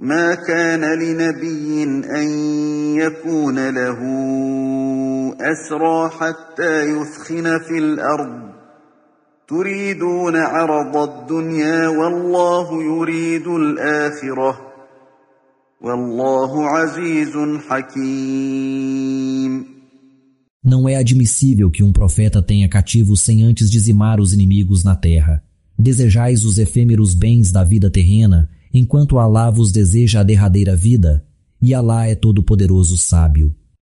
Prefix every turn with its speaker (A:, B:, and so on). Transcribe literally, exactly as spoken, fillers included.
A: ما كان لنبي أن يكون له أسرى حتى يثخن في الأرض تريدون عرض الدنيا والله يريد الآخرة والله عزيز حكيم.
B: Não é admissível que um profeta tenha cativos sem antes dizimar os inimigos na terra. Desejais os efêmeros bens da vida terrena, enquanto Alá vos deseja a derradeira vida, e Alá é todo-poderoso sábio.